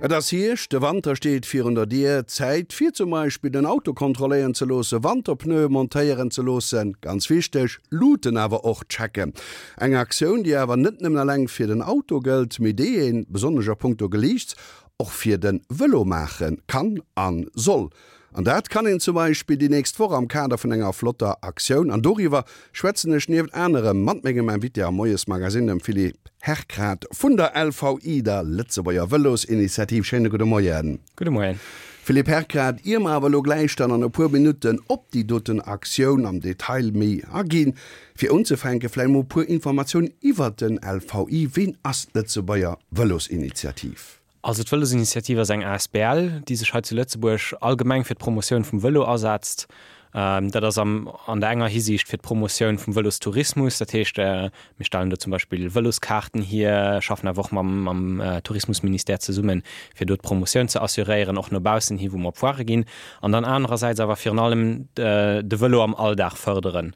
Et ass Hierscht, de Wanter steet virun der Dier. Zäit fir zum Beispill den Auto kontrolléieren ze loossen, Wanterpneue montéieren ze loossen, ganz wichteg, Luuten awer och checken. Eng Aktioun, déi awer net nëmmen eleng fir den Auto gëllt, mee déi een, besonnesch a punkto Geliichts, och fir de Vëlo maache kann a soll. An dat kann een zum Beispill déi nächst Woch am Kader vun enger flotter Aktioun. An doriwwer schwätzen ech nieft anerem mat mengem Invité am Moiesmagazine, dem Philippe Herkrath vun der LVI, der Lëtzebuerger Vëlosinitiativ. Schéine gudde Moien. Gudde Moien. Philippe Herkrath, ier mer awer elo gläich dann an e puer Minutten op déi doten Aktioun am Detail méi aginn, fir unzefänke vläicht mol e puer Informatiounen iwwert den LVI. Ween ass d'Lëtzebuerger Vëlosinitiativ? Also d'Vëlosinitiativ ass eng asbl, déi sech hei zu Lëtzebuerg allgemeng fir d'Promotioun vum Vëlo asetzt. Dat ass am an der enger Hisiicht fir d'Promotioun vum Vëlostourismus, dat heescht mir stellen do zum Beispill Vëloskaarten hier, schaffen awer och mam mam Tourismusministère zesummen, fir do d'Promotioun ze assuréieren, och no baussen hi wou mer op Foirë ginn. An dann anerersäits awer virun allem de Vëlo am Alldag fërderen.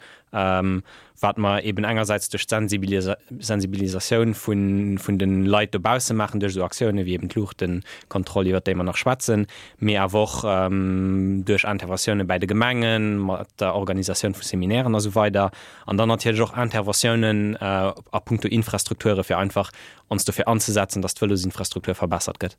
Wat mer eben engersäits duerch d'Sensibilisatioun vun de Leit dobausse maachen, duerch esou Aktiounen wéi eben d'Luuchtenkontroll, iwwert déi mer nach schwätzen, mee awer och duerch Interventiounen bäi de Gemengen, mat der Organisatioun vu Seminairen a sou weider. An dann natierlech och Interventiounen a puncto Infrastrukture fir einfach ons dofir anzesetzen, dass d'Vëlosinfrastruktur verbessert gëtt.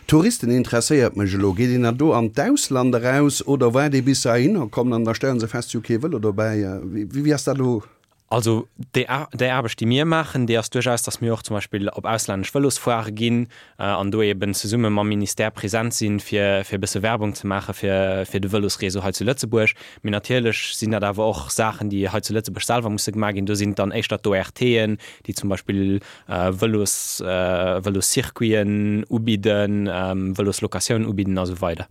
Touristen interesséiert mech elo. Geet een da do an d'Ausland eraus oder waart ee bis se heihinner kommen an da stellen se fest, si hu kee Vëlo dobäi? Wéi ass dat elo? Also déi Aarbecht, déi mir maachen, déi ass duerchaus, datt mir och zum Beispill op auslännesch Vëlosfoirë ginn an do eeben zesumme mam Ministère present sinn, fir e bësse Werbung ze maache fir de Vëlosreseau hei zu Lëtzebuerg. Mee natierlech sinn dat awer och Saachen, déi hei zu Lëtzebuerg selwer musse gemaach ginn. Do sinn et dann éischter d'ORTen, déi zum Beispill Vëlos, Vëloscircuiten ubidden, Vëloslocatioun ubidden a sou weider.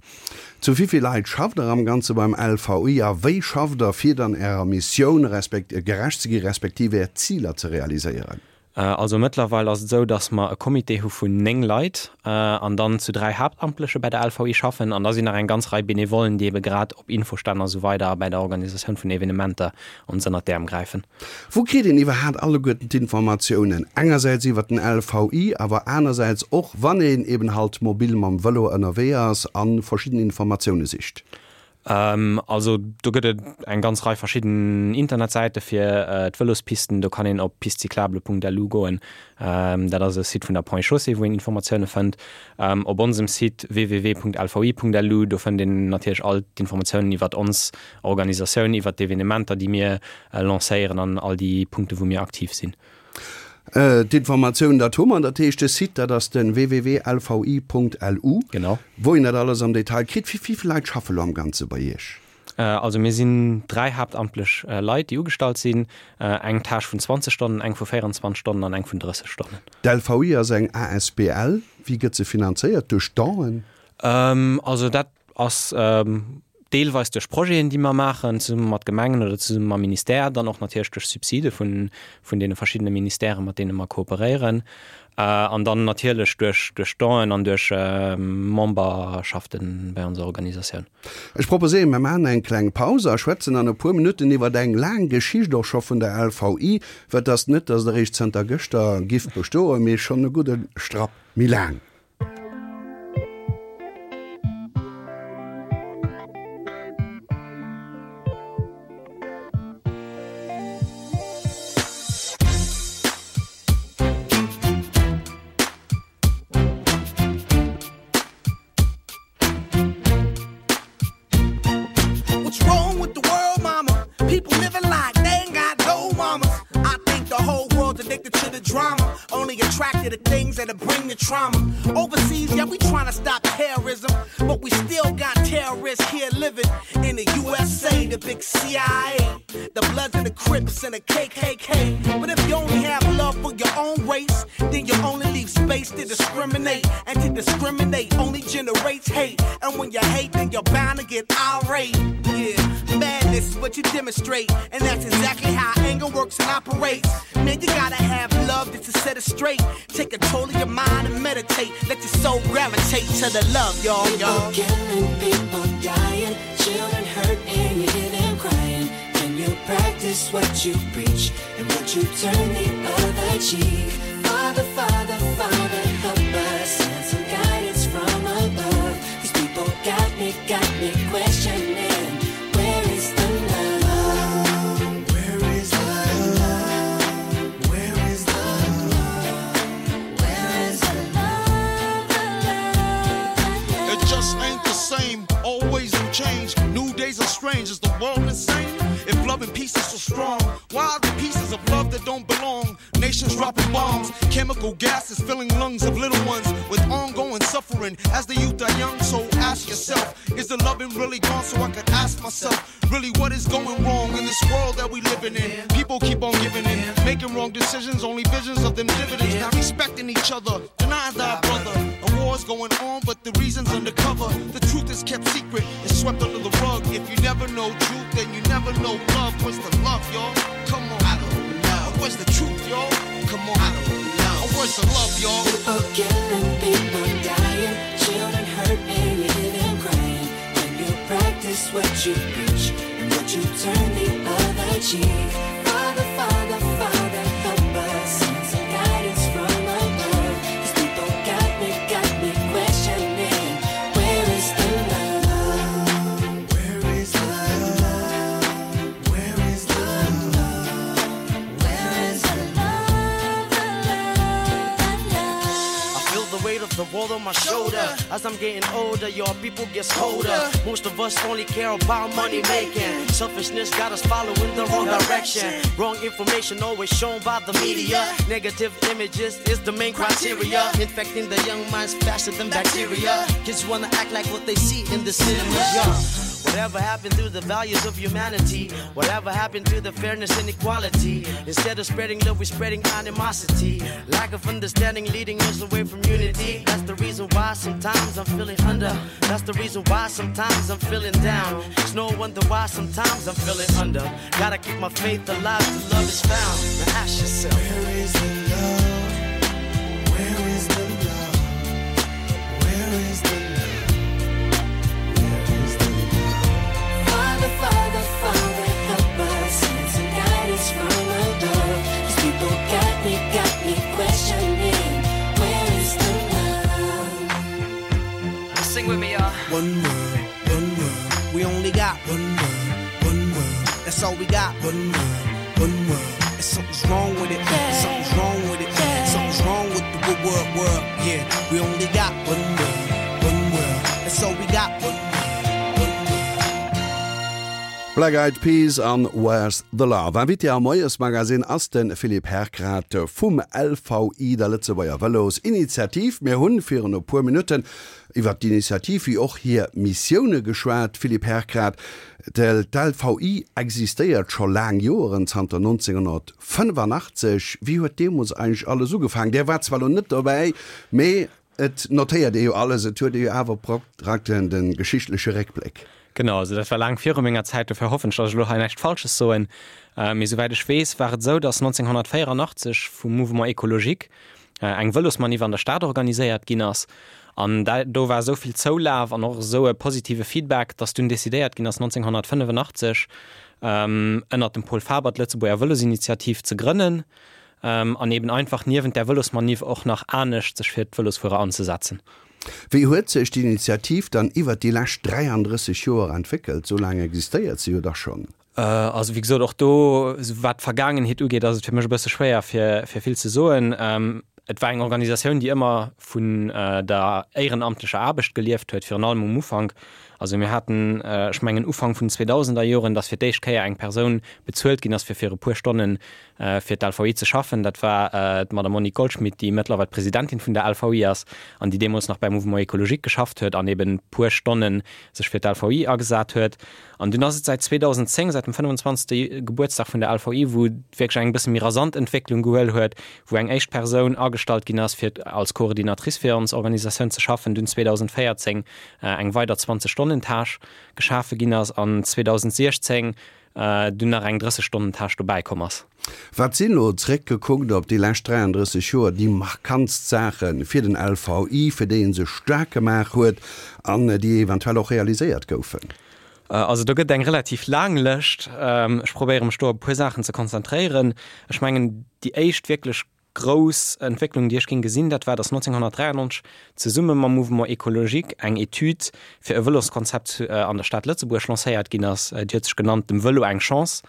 Zu wéi vill Leit schafft der am Ganze beim LVI a wéi schafft der fir dann ärer Missioun gerecht ze gi respektiv är Ziler ze realiséieren? Also mëttlerweil ass et esou, datt mer e Comité hu vun 9 Leit an dann zu 3 Haaptamtleche bäi der LVI schaffen an da sinn nach eng ganz Rei Benevollen, déi ebe grad op Infostänn a sou weider a bäi der Organisatioun vun Evenementer ons ënnert d'Äerm gräifen. Wou kritt een iwwerhaat alleguerten d'Informatiounen? Engersäits iwwert den LVI, awer anersäits och wann een eben halt mobil mam Vëlo ënnerwee ass a verschidden Informatioune sicht. Also do gëtt et eng ganz Rei verschidden Internetsäite fir d'Vëlospisten. Do kann een op pistecyclable.lu goen. Dat ass e Site vun der Ponts et Chaussées, wou een Informatioune fënnt. Op onsem Site www.lvi.lu, do fënnt een natierlech all d'Informatiounen iwwert ons Organisatioun, iwwert d'Evenementer, déi mir lancéieren an all déi Punkte wou mir aktiv sinn. D'informatioun, dat hu mer. Dat heescht, de Site, dat ass de www.lvi.lu. Genau. Wou een dat alles am Detail kritt. Wéi vill Leit schaffe lo am Ganze bei Iech? Also mir sinn 3 haaptamtlech Leit, déi ugestallt sinn. Eng Tâche vun 20 Stonnen, eng vu 24 Stonnen an eng vun 30 Stonnen. D'LVI ass eng asbl. Wéi gëtt se finanzéiert? Duerch Donen? Also dat ass deelweis duerch Projeten, déi mer maachen, zesumme mat Gemengen oder zesumme mam Ministère, dann och natierlech duerch Subside vun, vun deene verschiddene Ministèren, mat deene mer kooperéieren, an dann natierlech duerch, duerch Donen an duerch Memberschafte bei onser Organisatioun. Ech proposéieren, mer maachen eng kleng Paus a schwätzen an e puer Minutten iwwert eng laang Geschicht och scho vun der LVI, well et ass net, dass et eréischt zënter gëschter giff bestoen, mee schonn e gudde Strapp méi laang. What's wrong with the world, mama? People living like they ain't got no mamas. I think the whole world's addicted to the drama. Only attracted to things that'll bring the trauma. Overseas, yeah, we trying to stop terrorism. But we still got terrorists here living in the USA, the big CIA, the Bloods and the Crips and the KKK. But if you only have love for your own race, then you only leave space to discriminate. And to discriminate only generates hate. And when you hate, then you're bound to get irate. Yeah, madness is what you demonstrate. And that's exactly how anger works and operates. Man, you gotta have love just to set it straight. Take control of your mind and meditate. Let your soul gravitate to the love, y'all, y'all. People killing, people dying, children hurt and you hear them crying. Can you practice what you preach and would you turn the other cheek? Father, Father, Father, help us send some guidance from. Why the pieces of love that don't belong? Nations dropping bombs, chemical gases filling lungs of little ones with ongoing suffering as the youth are young. So ask yourself, is the loving really gone? So I could ask myself, really what is going wrong in this world that we living in? People keep on giving in, making wrong decisions, only visions of them dividends, not respecting each other, denying thy brother. A war's going on, but the reason's undercover. The truth is kept secret, it's swept under the rug. If you never know truth, then you never know love. Where's the love, y'all? Come on. I don't know. Where's the truth, y'all? Come on. I don't know. Where's the love, y'all? People killing, people dying, children hurt and you hear them crying. When you practice what you preach and what you turn the other cheek. Father, Father, Father, help us send some guidance from above. These people got me, got me questioning. Where is the love? Where is the love? Where is the love? Where is the love, the love, the love? I feel the weight of the world on my shoulder. As I'm getting older, your people gets colder. Most of us only care about money making. Selfishness got us following the wrong direction. Wrong information always shown by the media. Negative images is the main criteria. Infecting the young minds faster than bacteria. Kids wanna act like what they see in the cinemas. Yeah. Whatever happened to the values of humanity? Whatever happened to the fairness and equality? Instead of spreading love, we're spreading animosity. Lack of understanding leading us away from unity. That's the reason why sometimes I'm feeling under. That's the reason why sometimes I'm feeling down. It's no wonder why sometimes I'm feeling under. Gotta keep my faith alive till love is found. Now ask yourself, Where is the love? Where is the love? Where is the love? Where is the love? Father, Father, Father, help us send some guidance from above. These people got me, got me questioning. Where is the love? Sing with me, y'all. One world, one world. We only got one world, one world. That's all we got. One world, one world. And something's wrong with it. Something's wrong with it. Something's wrong with the good world, world. Yeah, we only got one world, one world. That's all we got. One world, one world. Black Eyed Peas an Where's the Love? Invité am Moiesmagazin ass de Philippe Herkrath vum LVI, der Lëtzebuerger Vëlosinitiativ. Mir hunn virun e puer Minutten iwwer d'Initiativ wéi och hir Missioune geschwat. Philippe Herkrath, d'LVI existéiert scho laang Joeren, zanter 1985. Wéi huet deemools eigentlech alles ugefaangen? Där waart zwar elo net dobäi, mee Et notéiert ee jo alles, et huet ee jo awer praktesch de geschichtleche Réckbléck. Genau, also dat war laang viru menger Zäit, dofir hoffen ech, datt ech elo hei näischt Falsches soen. Mee souwäit ech weess, war et esou, datt 1984 vum Mouvement Écologique eng Vëlosmanif an der Stad organiséiert ginn ass. An do war esou vill Zoulaf an och esou e positive Feedback, datt dunn decidéiert ginn ass, 1985 ënnert dem Paul Faber d'Lëtzebuerger Vëlosinitiativ ze grënnen. An eben einfach niewent där Vëlosmanif och nach anescht sech fir d'Vëlosfuerer anzesetzen. Wéi huet sech d'Initiativ dann iwwert déi lescht 33 Joer entwéckelt? Sou laang existéiert se jo da schonn. Also wéi gesot, och do, wat d'Vergaangenheet ugeet, ass et fir mech e bësse schwéier fir vill ze soen. Et war eng Organisatioun, déi ëmmer vun der éierenamtlecher Aarbecht gelieft huet, virun allem um Ufank. Also mir haten, ech mengen Ufank vun den 2000er Joren, datt fir d'éischt Kéier eng Persoun bezuelt ginn ass, fir fir e puer Stonnen fir d'LVI ze schaffen. Dat war d'Madame Monique Goldschmit, déi mëttlerweil d'Presidentin vun der LVI ass an déi deemools nach beim Mouvement Écologique geschafft huet an eben puer Stonne sech fir d'LVI agesat huet. An dunn ass et säit 2010, säit dem 25. Gebuertsdag vun der LVI, wou et wierklech eng bësse méi rasant Entwécklung gehuel huet, wou eng éischt Persoun agestallt ginn ass, fir als Coordinatrice fir ons Organisatioun ze schaffen, dunn 2014 eng weider 20 Stonnen-Tâche geschafe ginn ass an 2016 dunn nach eng 30 Stonnen Tâche dobäi komm ass. Wat sinn elo, zeréckgekuckt op déi lescht 33 Joer, déi markantst Saache fir den LVI, fir déi e sech staark gemaach huet an déi eventuell och realiséiert goufen? Also do gëtt et eng relativ laang Lëscht. Ech probéiere mech do op e puer Saachen ze konzentréieren. Ech mengen déi éischt wierklech grouss Entwécklung, déi ech géing gesinn, dat war, dass 1993 zesumme mam Mouvement écologique eng Etüd fir e Vëloskonzept an der Stad Lëtzebuerg lancéiert ginn ass. Déi huet sech genannt Dem Vëlo eng Chance.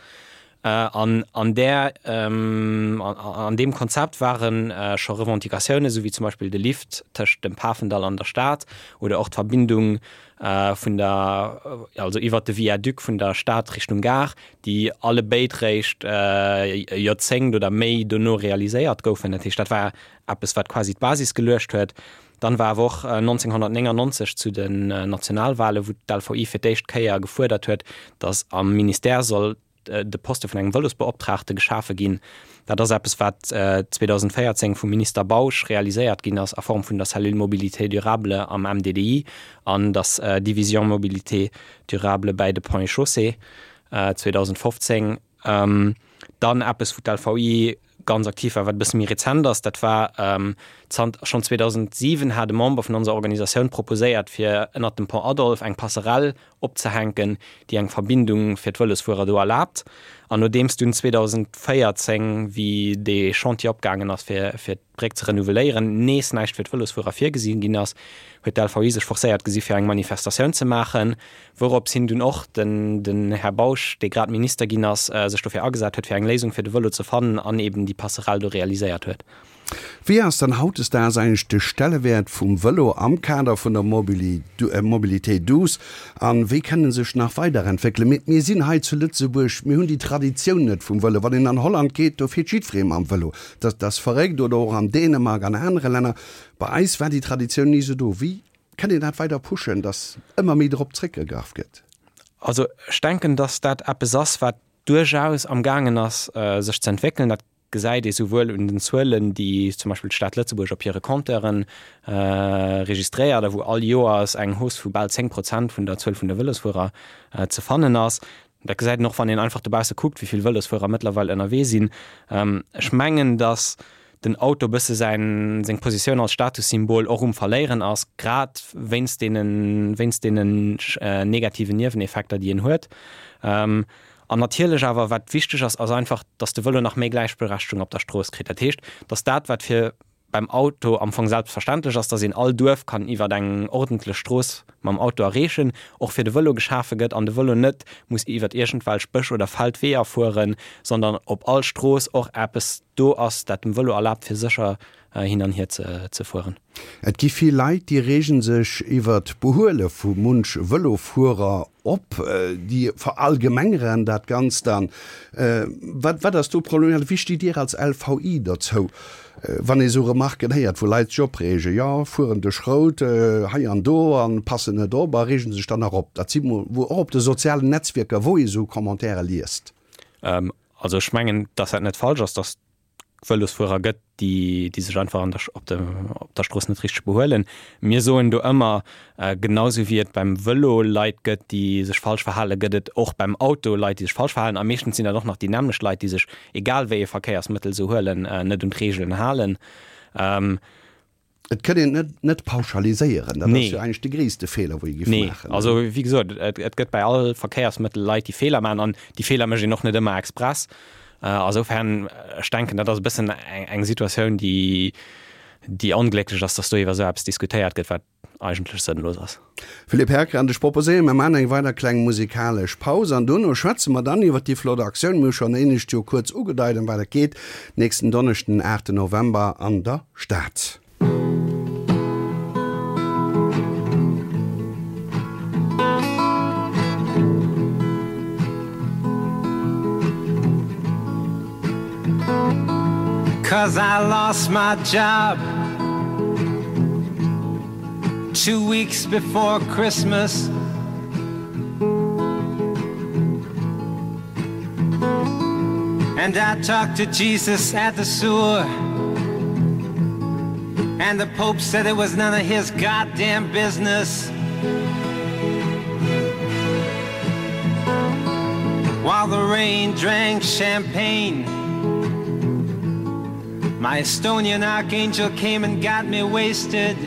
An an där, an deem Konzept ware scho Revendicatiounen, esou wéi zum Beispill de Lift tëscht dem Pafendall an der Stad oder och d'Verbindung vun der, also iwwert de Viaduc vun der Stad Richtung Gare, déi allebéid réischt e Joerzéngt oder méi dono realiséiert goufen. Dat heescht, dat war eppes, wat quasi d'Basis geluecht huet. Dann war awer och 1999 zu den Nationalwahlen, wou d'LVI fir d'éischt Kéier gefuerdert huet, datt am Ministère soll de Poste vun engem Vëlosbeoptraagte geschafe ginn. Dat ass eppes, wat 2014 vum Minister Bausch realiséiert ginn ass a Form vun der Cellule Mobilité durable am MDDI an der Division Mobilité durable bäi de Ponts et Chaussées 2015. Dann eppes, wou d'LVI ganz aktiv war, wat e bësse méi rezent ass, dat war zant schonn 2007 hat e Member vun onser Organisatioun proposéiert, fir ënnert dem Pont Adolphe eng Passerelle opzehänken, déi eng Verbindung fir d'Vëlosfuerer do erlaabt. An nodeems dunn 2014, wéi dee Chantier opgaangen ass, fir fir d'Bréck ze renouveléieren, nees näischt fir d'Vëlosfuerer virgesi ginn ass, huet d'LVI sech forcéiert gesi fir eng Manifestatioun ze maachen, wourops hin dunn och den den Här Bausch, dee grad Minister ginn ass, sech dofir agesat huet fir eng Léisung fir de Vëlo ze fannen an eben déi Passerelle do realiséiert huet. Wéi ass dann hautdesdaags eigentlech de Stellewäert vum Vëlo am Kader vun der Mobilité douce an wéi kann en sech nach weiderentwéckelen? Mir mir sinn hei zu Lëtzebuerg, mir hunn déi Traditioun net vum Vëlo. Wann een an Holland geet, do fiert jiddweree mam Vëlo. Dat ass verréckt. Oder och an Dänemark, an anere Länner. Bei eis war déi Traditioun ni esou do. Wéi kann een dat weider pushen, dass ëmmer méi drop zréckgegraff gëtt? Also ech denken, dass dat eppes ass, wat duerchaus am gaangen ass sech ze entwéckelen. Dat gesäit ee souwuel un den Zuelen, déi zum Beispill d'Stad Lëtzebuerg op hire Compteuren registréiert a wou all Joers eng Hausse vu bal 10 Prozent vun der Zuel vun de Vëlosfuerer ze fannen ass. Dat gesäit een och, wann een einfach dobausse kuckt, wéi vill Vëlosfuerer mëttlerweil ënnerwee sinn. Ech mengen, datt den Auto e bësse säin, seng Positioun als Statussymbol och um Verléieren ass, grad wéinst deenen, wéinst deenen negativen Nieweneffekter, déi en huet. An natierlech awer, wat wichteg ass, ass einfach, datt de Vëlo nach méi Gläichberechtegung op der Strooss kritt. Dat heescht, datt dat, wat fir beim Auto am Fong selbstverständlech ass, dass een all Duerf kann iwwer eng ordentlech Strooss mam Auto erreechen, och fir de Vëlo geschafe gëtt an de Vëlo net muss iwwer iergendwelch Bësch oder Feldweeër fueren, sondern op all Strooss och eppes do ass, dat dem Vëlo erlaabt fir sécher hin an hier ze fueren. Et gi vill Leit, déi reegen sech iwwer d'Behuele vu munch Vëlofuerer op, déi verallgemengeren dat Ganzt dann. Wat wat ass do problematesch? Wéi stitt Dir als LVI dozou, wann ee sou Remarken héiert, wou Leit sech opreegen, jo, fueren duerch Rout hei an do a passen net op a reegen sech dann nach op? Dat si mol wou och op de sozialen Netzwierker, wou ee sou Commentaire liest. Also ech mengen, dass dat net falsch ass, dass Vëlosfuerer gëtt, déi, déi sech einfach an der, op der, op der Strooss net richteg behuelen. Mir soen do ëmmer, genau sou wéi et beim Vëlo Leit gëtt, déi sech falsch verhalen, gëtt et och beim Auto Leit, déi sech falsch verhalen. A meeschtens sinn dat och nach déi nämmlecht Leit, déi sech, egal wéi ee Verkéiersmëttel se huelen, net un d'Reegelen halen. Et kënnt een et net pauschaliséieren, dat ass jo eigentlech de gréisste Feeler, wou ee giff maachen. Nee, also wéi gesot, et gëtt bei all Verkéiersmëttel Leit, déi Feeler maachen an déi Feeler mécht een och net ëmmer express. Asoufern, ech denken, dat ass e bëssen eng Situatioun, déi, déi onglécklech ass, datt do iwwer esou eppes diskutéiert gëtt, wat eigentlech sënnlos ass. Philippe Herkrant, Ech proposéieren, mer maachen eng weider kleng musikalesch Paus an dono schwätze mer dann iwwer déi flott Aktioun, mir hu schonn éinescht jo kuerz ugedeit, ëm wat et geet, nächsten Donneschden, den 8 November an der Stad. Cause I lost my job Two weeks before Christmas And I talked to Jesus at the sewer And the Pope said it was none of his goddamn business While the rain drank champagne My Estonian archangel came and got me wasted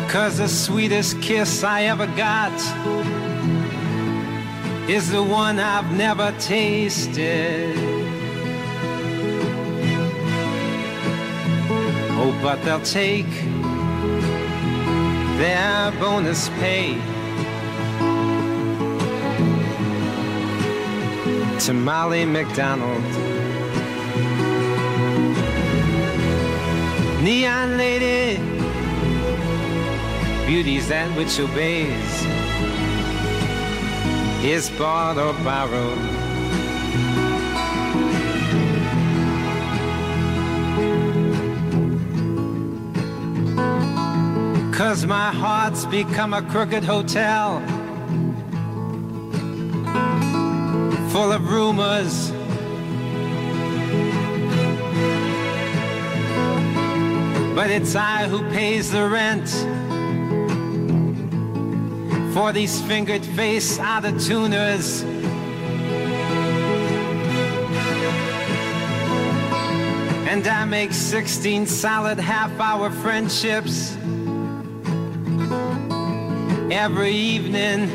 Cause the sweetest kiss I ever got Is the one I've never tasted Oh, but they'll take their bonus pay. To Molly MacDonald. Neon lady, beauty's that which obeys, is bought or borrowed. Cause my heart's become a crooked hotel full of rumors. But it's I who pays the rent for these fingered face out of tuners. And I make 16 solid half-hour friendships every evening.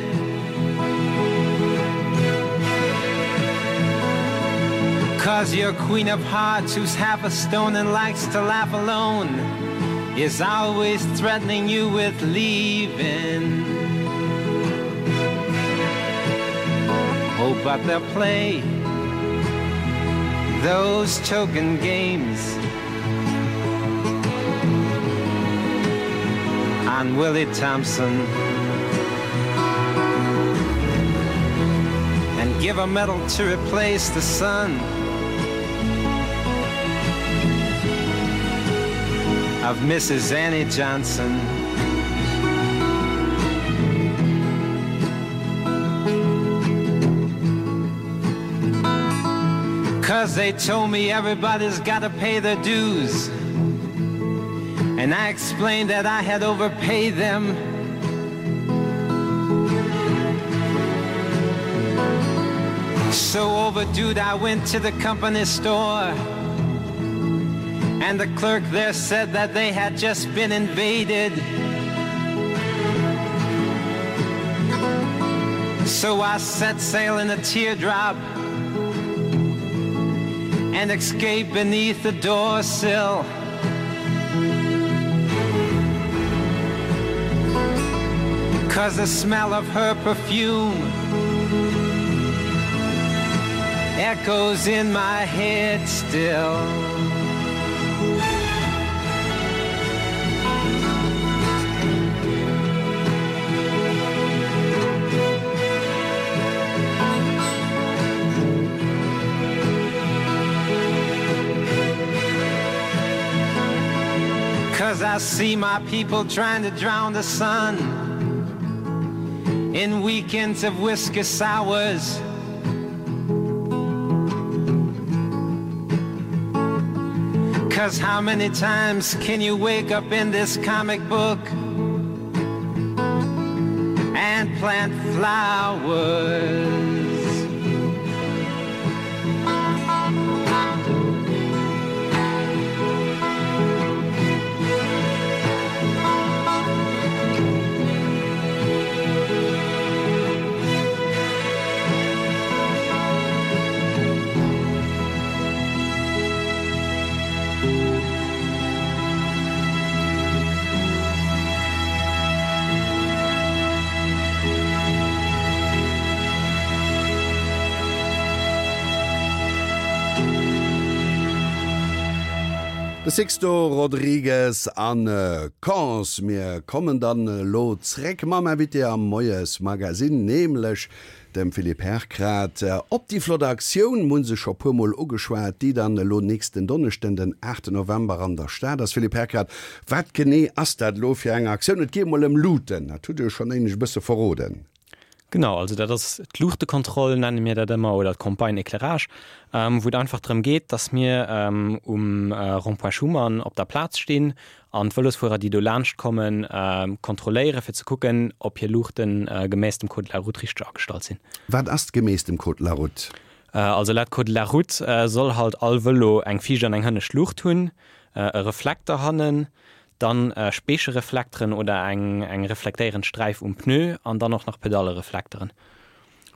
Cause your queen of hearts who's half a stone and likes to laugh alone is always threatening you with leaving. Oh, but they'll play those token games on Willie Thompson and give a medal to replace the sun of Mrs. Annie Johnson. Cause they told me everybody's gotta pay their dues. And I explained that I had overpaid them. So overdue I went to the company store. And the clerk there said that they had just been invaded. So I set sail in a teardrop and escaped beneath the door sill. Cause the smell of her perfume echoes in my head still. Cause I see my people trying to drown the sun in weekends of whiskey sours. Cause how many times can you wake up in this comic book and plant flowers? De Sixto Rodriguez an Cons. Mir kommen dann elo zréck mam Invité am Moiesmagazine, nämlech Dem Philippe Herkrath op déi flott Aktioun, mir hu se scho puer mol ugeschwat, déi dann elo nächsten Donneschden, den 8 November an der Stad ass. Philippe Herkrath, wat genee ass dat elo fir eng Aktioun? Et geet mol ëm Luuten, dat hutt Dir jo schonn éinescht e bësse verroden. Genau, also dat ass d'Luuchtekontroll, nenne mir dat ëmmer, oder d'Campagne éclairage, wou et einfach drëm geet, dass mir um Rond-point Schuman op der Plaz stinn An d'Vëlosfuerer, déi do laanscht kommen, kontrolléieren, fir ze kucken, ob hir Luuchten gemäss dem Code de la route richteg agestallt sinn. Wat ass gemäss dem Code de la route? Also laut Code de la route soll halt all Vëlo eng viischt an eng hënnescht Luucht hunn, e Reflekter hannen, dann Speechereflekteren oder eng reflektéierend Sträif um Pneu an dann och nach Pedallereflekteren.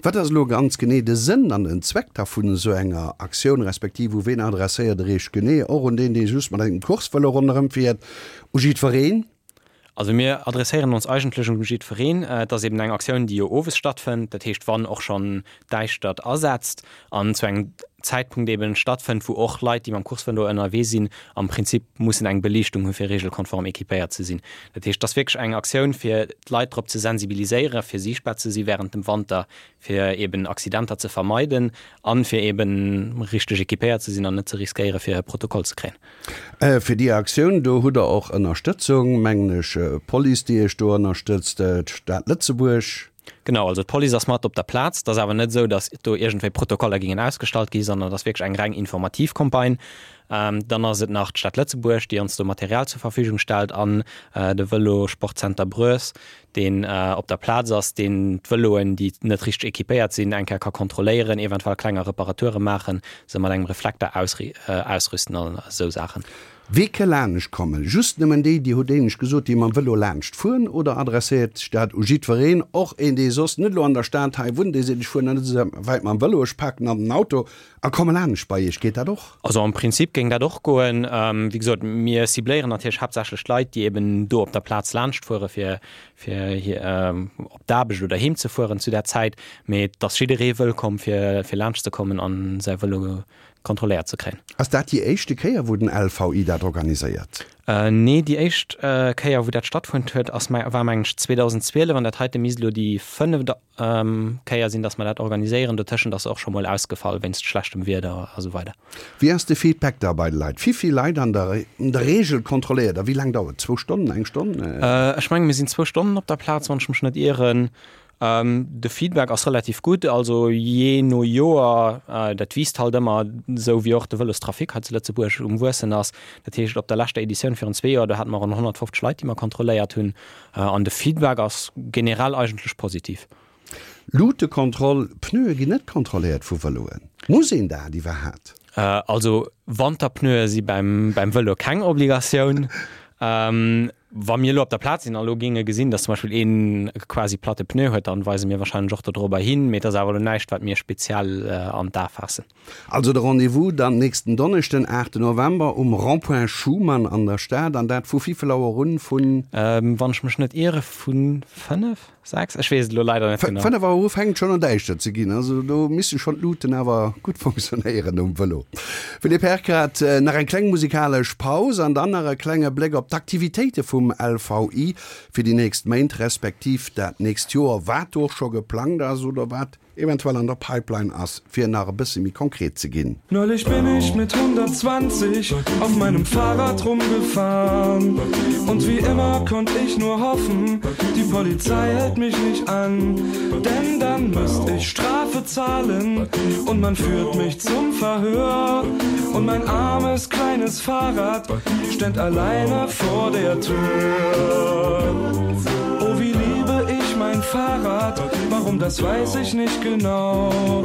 Wat ass elo ganz genee de Sënn an den Zweck da vun esou enger Aktioun, respektiv u ween adresséiert Der Iech genee? Och un deen, dee just mat engem Coursevëlo ronderëm fiert? U jiddwereen? Also mir adresséieren ons eigentlech un jiddwereen. Et ass eben eng Aktioun, déi jo owes stattfënnt, dat heescht wann och schonn d'Däischtert asetzt an zu engem Zäitpunkt eben stattfënnt, wou och Leit, déi mam Coursevëlo ënnerwee sinn, am Prinzip mussen eng Beliichtung hu fir regelkonform équipéiert ze sinn. Dat heescht, et ass wierklech eng Aktioun fir d'Leit drop ze sensibiliséieren, fir siichtbar ze si während dem Wanter, fir eben Accidenter ze vermeiden an fir eben richteg équipéiert ze sinn an net ze riskéieren, fir e Protokoll ze kréien. Fir déi Aktioun do hutt Der och Ënnerstëtzung, mengen ech, d'Police, déi Iech do ënnerstëtzt, d'Stad Lëtzebuerg. Genau, also d'Police ass mat op der Plaz. Et ass awer net esou, datt do iergendwéi Protokoller gingen ausgestallt gi, sondern et ass wierklech eng reng informativ Campagne. Dann ass et nach d'Stad Lëtzebuerg, déi ons do Material zur Verfügung stellt an de Vëlo-Sportcenter Brues, deen op der Plaz ass, deen d'Vëloen, déi net richteg équipéiert sinn, eng Kéier ka kontrolléieren, eventuell klenger Reparature maachen, se mat engem Reflekter ausrüsten an esou Saachen. Wie ke laanscht kommen? Just nëmmen déi, déi hutt éinescht gesot, déi mam Vëlo laanscht fueren, oder adresséiert sech dat u jiddwereen, och een, dee soss net elo an der Stad hei wunnt, dee seet, ech fueren net esou wäit mam Vëlo, ech paken an den Auto a komme laanscht bei Iech? Geet dat och? Also am Prinzip géing dat och goen. Wéi gesot, mir cibléieren natierlech haaptsächlech d'Leit, déi eben do op der Plaz laanscht fuere fir fir op d'Aarbecht oder heem ze fueren zu där Zäit. Mee et ass jidderee wëllkomm fir fir laanscht ze kommen an säi Vëlo kontrolléiert ze kréien. Ass dat déi éischte Kéier wou den LVI dat organiséiert? Nee, déi éischt Kéier wou dat stattfonnt huet ass war mengen ech 2012 an dat heite misst elo déi fënneft Kéier sinn, datt mer dat organiséieren. Dotëschent ass se och scho mol ausgefall wéinst schlechtem Wieder a sou weider. Wéi ass de Feedback da bei de Leit? Wivill Leit an der Reegel kontrolléiert der? Wéi laang dauert et? Zwou Stonnen? Eng Stonn? Ech menge mir sinn zwou Stonnen op der Plaz, wann ech mech net ieren. De Feedback ass relativ gutt, also jee no Joer, dat wiisst halt ëmmer, esou wéi och de Vëlostrafic hei zu Lëtzebuerg um Wuessen ass. Dat heescht, op der leschter Editioun virun zwee Joer, do hate mer ronn 150 Leit, déi mer kontrolléiert hunn. An de Feedback ass generell eigentlech positiv. Luutekontroll, Pneue ginn net kontrolléiert vu Vëloen. Muss een dat iwwerhaat? Also Wanterpneue si beim Vëlo keng Obligatioun. Wa mir elo op der Plaz sinn a lo géinge gesinn, datt zum Beispill een e quasi platte Pneu huet, dann weise mir wahrscheinlech och dodrobber hin. Mee et ass awer elo näischt, wat mir speziell an d'A faassen. Also de Rendez-vous dann nächsten Donneschden, 8 November, um Rond-point Schuman an der Stad. An dat vu wéivill Auer un? Vun. Wann ech mech net iere vu 5? 6? Ech weess et elo leider net genau. 5 Auer u fänkt schonn un däischter ze ginn, also do misste schonn d'Luuten awer gutt funktionéieren um Vëlo. Philippe Herkert, nach eng kleng musikalesch Paus an dann nach e klenge Bléck op d'Aktivitéite vum LVI fir déi nächst Méint, respektiv dat nächst Joer, wat do och scho geplangt ass oder wat eventuell an der Pipeline ass, fir nach e bësse méi konkret ze ginn. Neulich bin ich mit 120 auf meinem Fahrrad rumgefahren und wie immer konnt ich nur hoffen, die Polizei hält mich nicht an, denn dann müsst ich Strafe zahlen und man führt mich zum Verhör und mein armes kleines Fahrrad ständ alleine vor der Tür. Oh wie liebe ich mein Fahrrad, warum das weiß ich nicht genau.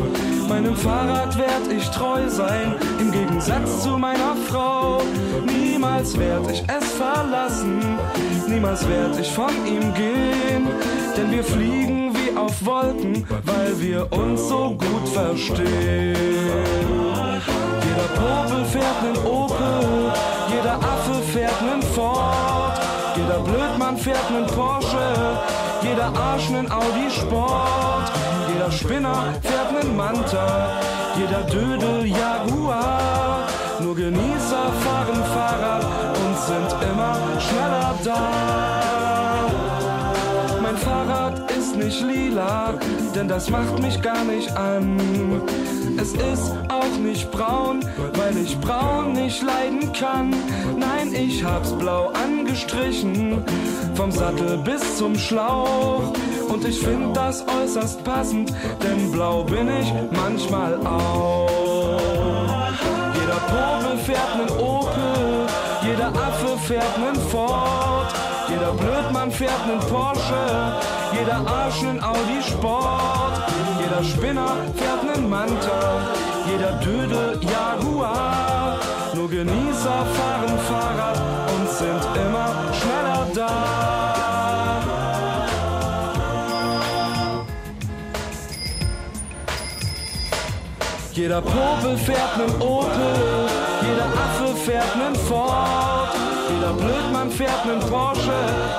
Meinem Fahrrad werd ich treu sein, im Gegensatz zu meiner Frau. Niemals werd ich es verlassen, niemals werd ich von ihm gehen, denn wir fliegen wie auf Wolken, weil wir uns so gut verstehen. Jeder Popel fährt nen Opel, jeder Affe fährt nen Ford, jeder Blödmann fährt nen Porsche, jeder Arsch nen Audi Sport, jeder Spinner fährt nen Manta, jeder Dödel Jaguar. Nur Genießer fahren Fahrrad und sind immer schneller da. Mein Fahrrad ist nicht lila, denn das macht mich gar nicht an. Es ist auch nicht braun, weil ich braun nicht leiden kann. Nein, ich hab's blau angestrichen, vom Sattel bis zum Schlauch. Und ich find das äußerst passend, denn blau bin ich manchmal auch. Jeder Popel fährt nen Opel, jeder Affe fährt nen Ford, jeder Blödmann fährt nen Porsche, jeder Arsch nen Audi Sport, jeder Spinner fährt nen Manta, jeder Dödel Jaguar. Nur Genießer fahren Fahrrad und sind immer schneller da. Jeder Popel fährt nen Opel, jeder Affe fährt nen Ford. Jeder Blödmann fährt nen Porsche,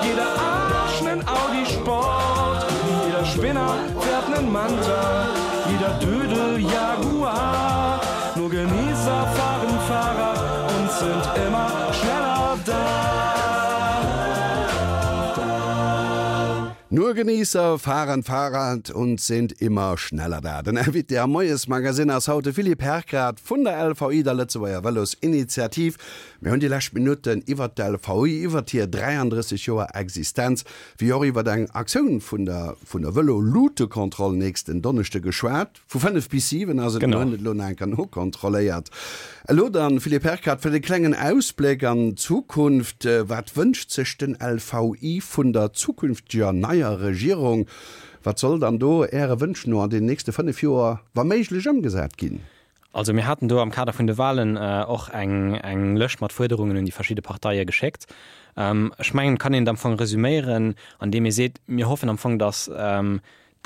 jeder Arsch nen Audi Sport. Jeder Spinner fährt nen Manta, jeder Dödel Jaguar. Nur Genießer fahren Fahrrad und sind immer schneller da. Nur Genießer fahren Fahrrad und sind immer schneller da. Den Invité am Moiesmagazin ass haut de Philippe Herkrath vun der LVI, der Lëtzebuerger Vëlosinitiativ. Mir hunn déi lescht Minutten iwwert d'LVI, iwwert hir 33 Joer Existenz, wéi och iwwert eng Aktioun vun der vun der Vëlo-Luutekontroll nächsten Donneschde geschwat. Vu 5 bis 7 ass et, mir hunn et elo nach eng Kéier nokontrolléiert. Elo dann, Philippe Herkert, fir de klengen Ausbléck an d'Zukunft, Wat wënscht sech den LVI vun der zukünfteger neier Regierung? Wat soll dann do Äre Wënsch no an den nächste 5 Joer wa méiglech ëmgesat ginn? Also mir haten do am Kader vun de Wahlen och eng eng Lëscht mat Fuerderungen un déi verschidde Parteie geschéckt. Ech mengen, et kann een et am Fong resüméieren, andeem ee seet, mir hoffen am Fong, datt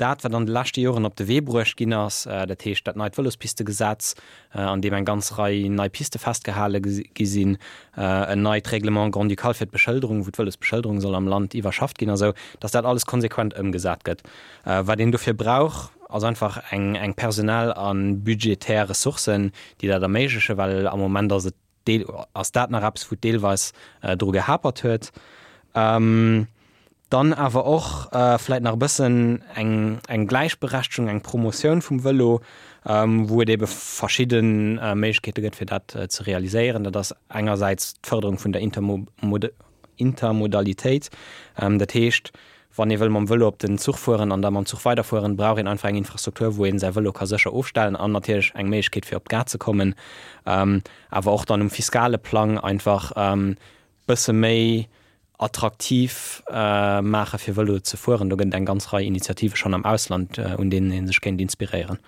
dat, wat an de leschte Joren op de Wee bruecht ginn ass, dat heescht dat neit Vëlospistegesetz, an deem eng ganz Rei nei Piste festgehale gi sinn, en neit Règlement grand-ducal fir d'Beschëlderung, wou d'Vëlosbeschëlderung soll am Land iwwerschafft ginn a sou, datt dat alles konsequent ëmgesat gëtt. Wat een dofir brauch, ass einfach eng eng personell a budgetär Ressourcen, déi dat erméiglechen, well am Moment ass et deel ass dat nach eppes, wou et deelweis dru gehapert huet. Dann awer och vläit nach e bëssen eng eng Gläichberechtegung, eng Promotioun vum Vëlo, wou et ebe verschidde Méiglechkeete gëtt, fir dat ze realiséieren. Dat ass engersäits d'Fërderung vun der Intermodalitéit, dat heescht, Wann ee wëll mam Vëlo op den Zuch fueren an da mam Zuch weiderfueren, brauch een einfach eng Infrastruktur, wou een säi Vëlo ka sécher ofstellen an natierlech eng Méiglechkeet fir op d'Gare ze kommen. Awer och dann um fiskale Plang einfach bësse méi attraktiv maache fir Vëlo ze fueren. Do gëtt et eng ganz Rei Initiative schonn am Ausland, un deenen ee sech kéint inspiréieren.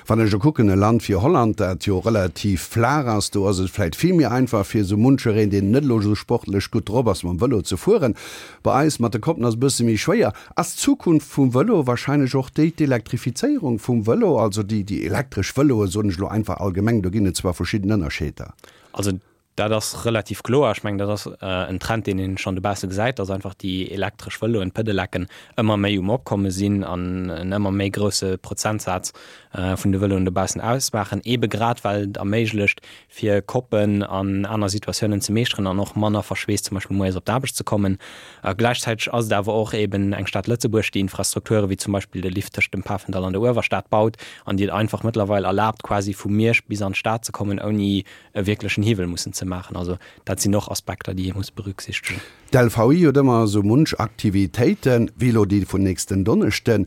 Wann ech elo kucken, e Land wéi Holland, dat jo relativ flaach ass, do ass et vläicht vill méi einfach fir esou munchereen, deen net elo esou sportlech gutt drop ass, mam Vëlo ze fueren. Bei eis mat de Koppen ass e bësse méi schwéier. Ass d'Zukunft vum Vëlo wahrscheinlech och déi d'Elektrifizéierung vum Vëlo, also déi déi elektresch Vëloe soen ech elo einfach allgemeng, do ginn et zwar verschidden Ënnerscheeder. Also Dat ass relativ kloer. Ech mengen, dat ass en Trend, deen een schonn dobausse gesäit, dass einfach déi elektresch Vëloen, d'Pedelecken, ëmmer méi um Opkomme sinn an en ëmmer méi grousse Prozentsaz vun de Vëloen dobaussen ausmaachen, eebe grad well et erméiglecht, fir Koppen an aner Situatiounen ze meeschteren an och manner verschweesst zum Beispill moies op d'Aarbecht ze kommen. Gläichzäiteg ass et awer och eeben eng Stad Lëtzebuerg, déi Infrastrukture wéi zum Beispill de Lift tëscht dem Pafendall an der Uewerstad baut an déi et einfach mëttlerweil erlaabt, quasi vu Miersch bis an d'Stad ze kommen, ouni e wierklechen Hiwwel mussen ze maachen. Also dat sinn och Aspekter, déi ee muss berücksichtegen. D'LVI huet ëmmer esou munch Aktivitéiten, wéi elo déi vun nächsten Donneschden.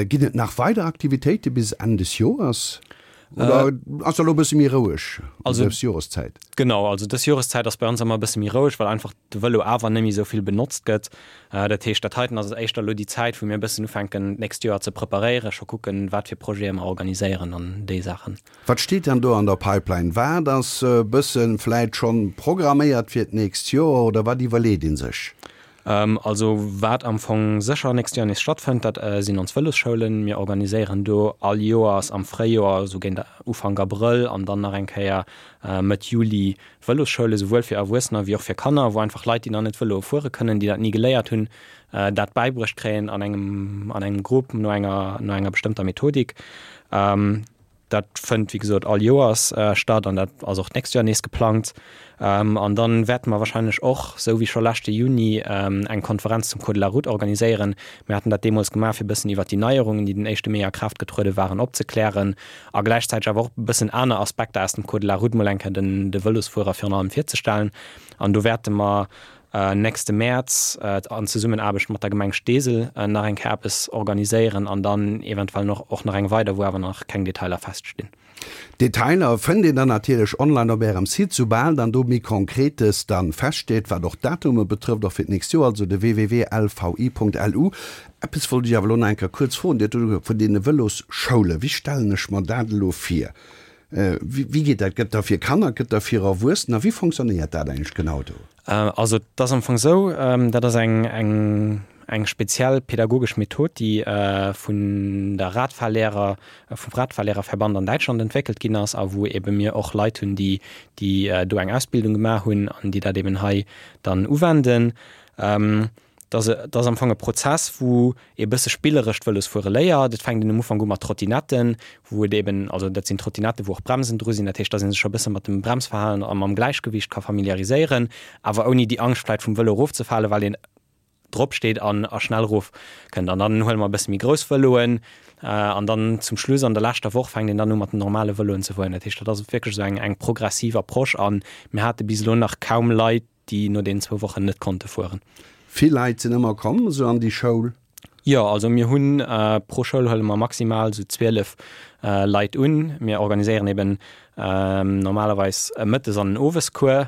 Ginn et nach weider Aktivitéite bis Enn des Joers oder ass elo e bësse méi roueg ëm dës Joreszäit? Genau, also dës Joreszäit ass bei ons ëmmer e bësse méi roueg, well einfach de Vëlo awer net méi esou vill benotzt gëtt. Dat heescht, dat heiten ass éischter elo déi Zäit, wou mir e bëssen ufänken d'nächst Joer ze preparéieren, scho kucken, wat fir Projete mer organiséieren an déi Saachen. Wat steet dann do an der Pipeline? Wat ass e bësse vläit schonn programméiert fir d'nächst Joer oder wat iwwerleet ee sech? Also wat am Fong sécher nächst Joer nees stattfënnt, dat sinn ons Vëlosschoulen. Mir organiséieren do all Joers am Fréijoer, esou géint Ufank Abrëll an dann nach eng Kéier Mëtt Juli Vëlosschoule souwuel fir Erwuessener wéi och fir Kanner, wou einfach Leit, déi nach net Vëlo fuere kënnen, déi dat ni geléiert hunn, dat bäibruecht kréien an engem an engem Grupp no enger no enger bestëmmter Methodik. Dat fënnt wéi gesot all Joers statt an dat ass och d'nächst Joer nees geplangt. An dann wäerte mer wahrscheinlech och, sou wéi scho leschte Juni, eng Konferenz zum Code de la Route organiséieren. Mir haten dat deemools gemaach, fir e bëssen iwwert déi Neierungen, déi den éischte Mee a Kraaft getruede waren, opzeklären a gläichzäiteg awer och e bëssen aner Aspekter aus dem Code de la Route mol eng Kéier den de Vëlosfuerer virun allem virzestellen. An do wäerte mer nächste Mäerz an Zesummenaarbecht mat der Gemeng Steesel nach eng Kéier eppes organiséieren an dann eventuell noch och nach eng weider, wou awer nach keng Detailer feststinn. Detailer fënnt een dann natierlech online op Ärem Site, soubal dann do méi Konkretes dann feststeet, wat och d'Datume betrëfft, och fir d'nächst Joer, also de www.lvi.lu. Eppes wollt ech awer elo nach eng Kéier kuerz froen, Dir hutt vun deene Vëlosschoulen, wéi stellen ech mer dat elo vir? Wéi geet dat? Gëtt da fir Kanner, gëtt da fir Erwuessener? Wéi fonctionnéiert dat eigentlech genau do? Also et ass am Fong esou, dat ass eng, eng, eng speziell pädagogesch Method, déi vun der Radfahrlehrer, vum Radfahrlehrerverband an Däitschland entwéckelt ginn ass a wou ebe mir och Leit hunn, déi déi do eng Ausbildung gemaach hunn an déi dat eben hei dann uwenden. Dat ass am Fong e Prozess, wou ee bësse spilleresch d'Vëlosfuere léiert. Et fänkt een am Ufank u mat Trottinetten, wou et eben, also dat sinn Trottinetten, wou och Bremsen dru sinn, dat heescht, dass ee sech scho e bësse mat dem Bremsverhalen a mam Gläichgewicht ka familiariséieren, awer ouni déi Angscht vläicht vum Vëlo erofzefalen, well een drop steet an a schnell erof kënnt. An dann huele mer e bësse méi grouss Vëloen an dann zum Schluss an der leschter Woch fänkt een dann u mat den normale Vëloen ze fueren. Dat heescht, dat ass wierklech esou eng eng progressiv Approche a mir hate bis elo nach kaum Leit, déi no deenen zwou Wochen net konnte fueren. Vill Leit sinn ëmmer komm esou an déi Schoul? Jo, also mir hunn pro Schoul huele mer maximal esou 12 Leit un. Mir organiséieren eben normalerweis e Mëttes an en Owescours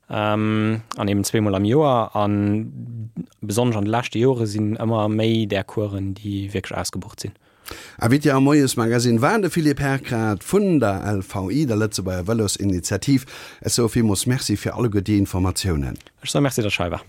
an eben zweemol am Joer. A besonnesch an de leschte Jore sinn ëmmer méi där Coursen, déi wierklech ausgebucht sinn. Invité am Moiesmagazine war de Philippe Herkrath vun der LVI, der Lëtzebuerger Vëlosinitiativ. Ech soe villmools Merci fir alleguer déi Informatiounen. Ech soe Merci, datt ech hei war.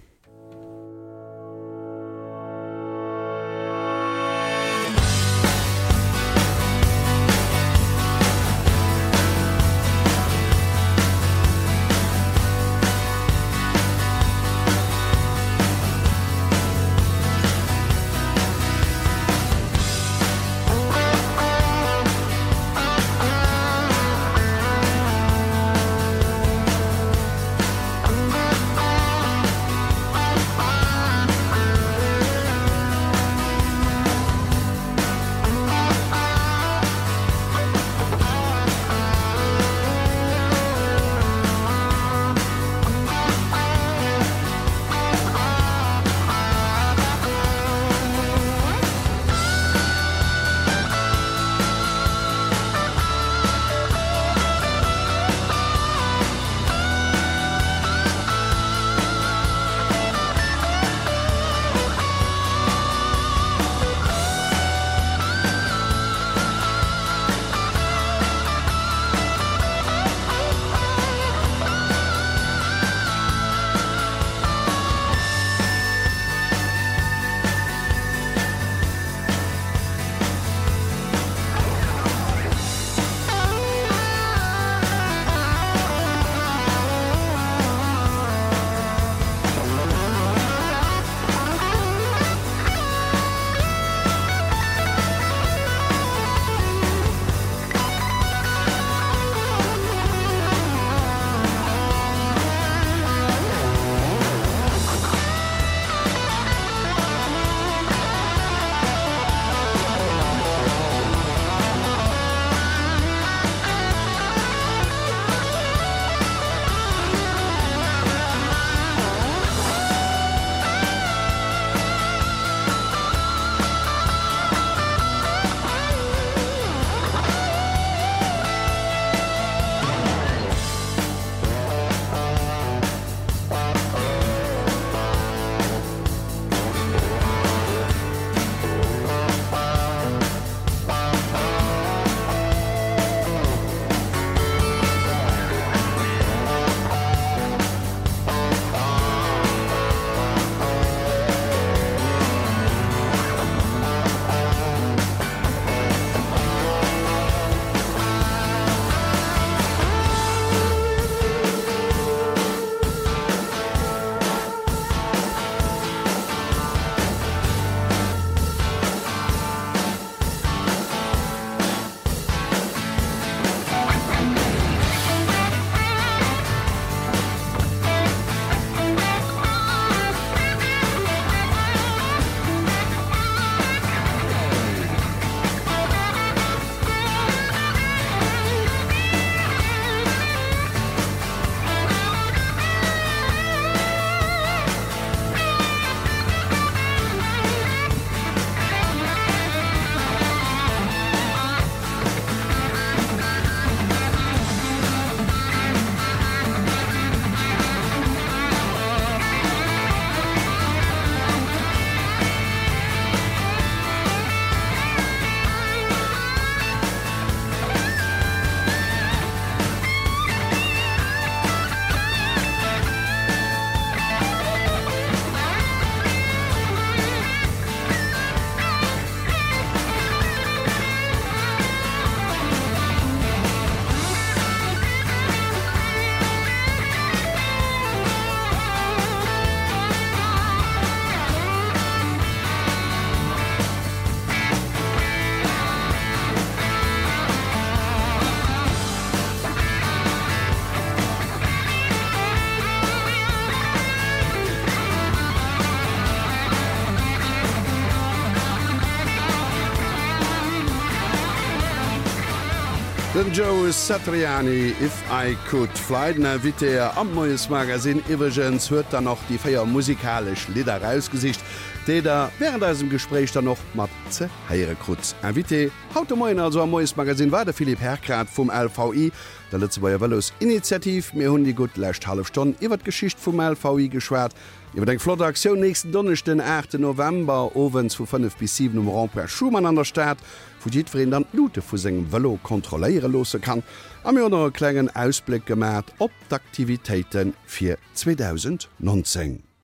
Den Joe Satriani, If I Could Fly. Den Invité am Moiesmagazine iwwregens huet dann och déi 4 musikalesch Lidder erausgesicht, déi der wärend eisem Gespréich dann och mat ze héiere krut. Invité haut de Moien also am Moiesmagazine war de Philippe Herkrath vum LVI, der Lëtzebuerger Vëlosinitiativ. Mir hunn déi gutt lescht hallef Stonn iwwer d'Geschicht vum LVI geschwat, iwwer eng flott Aktioun nächsten Donneschden, 8 November, owends vu 5 bis 7 um Rond-point Schuman an der Stad, wou jiddwereen dann d'Luute vu sengem Vëlo kontrolléiere loosse kann a mir hunn och e klengen Ausbléck gemat op d'Aktivitéite fir 2019.